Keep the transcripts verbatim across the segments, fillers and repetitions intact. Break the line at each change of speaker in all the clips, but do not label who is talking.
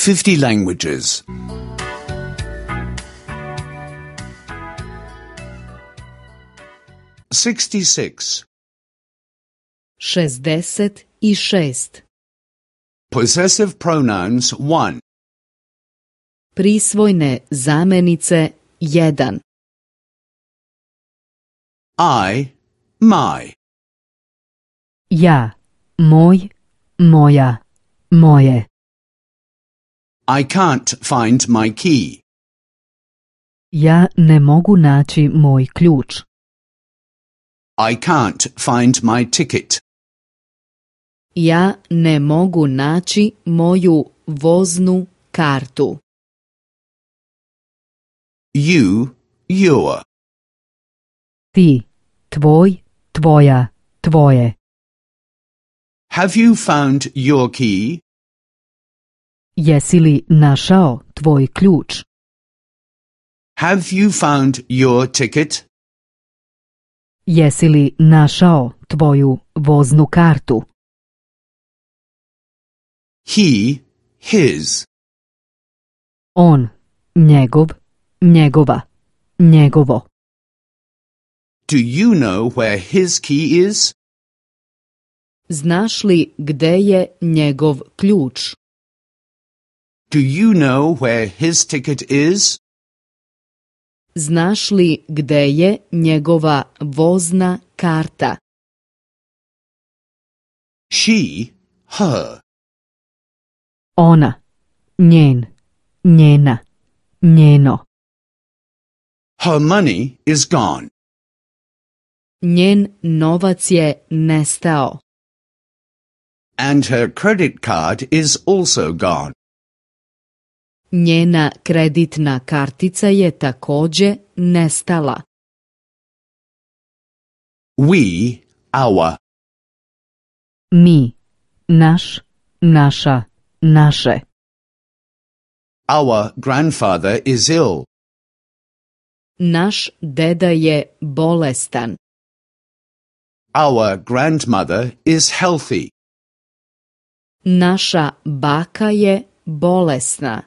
fifty languages. sixty-six.
šezdeset i šest.
Possessive pronouns one.
Prisvojne zamenice jedan.
I, my.
Ja, moj, moja, moje.
I can't find my key.
Ja ne mogu naći moj ključ.
I can't find my ticket.
Ja ne mogu naći moju voznu kartu.
You, your.
Ti, tvoj, tvoja, tvoje.
Have you found your key?
Jesi li našao tvoj ključ?
Have you found your ticket?
Jesi li našao tvoju voznu kartu?
He, his.
On, njegov, njegova, njegovo.
Do you know where his key is?
Znaš li gde je njegov ključ?
Do you know where his ticket is?
Znaš li gde je njegova vozna karta?
She, her.
Ona, njen, njena, njeno.
Her money is gone.
Njen novac je nestao.
And her credit card is also gone.
Njena kreditna kartica je također nestala.
We, our.
Mi, naš, naša, naše.
Our grandfather is ill.
Naš deda je bolestan.
Our grandmother is healthy.
Naša baka je bolesna.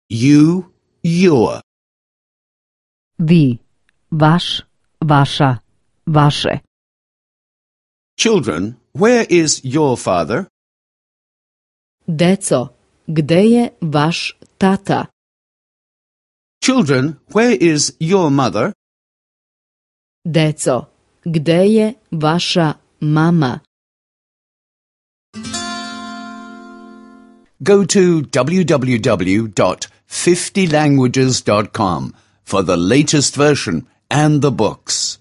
You, your.
Vi, vaš, vaša, vaše.
Children, where is your father?
Deco, gde je vaš tata?
Children, where is your mother?
Deco, gde je vaša mama?
Go to w w w dot fifty languages dot com for the latest version and the books.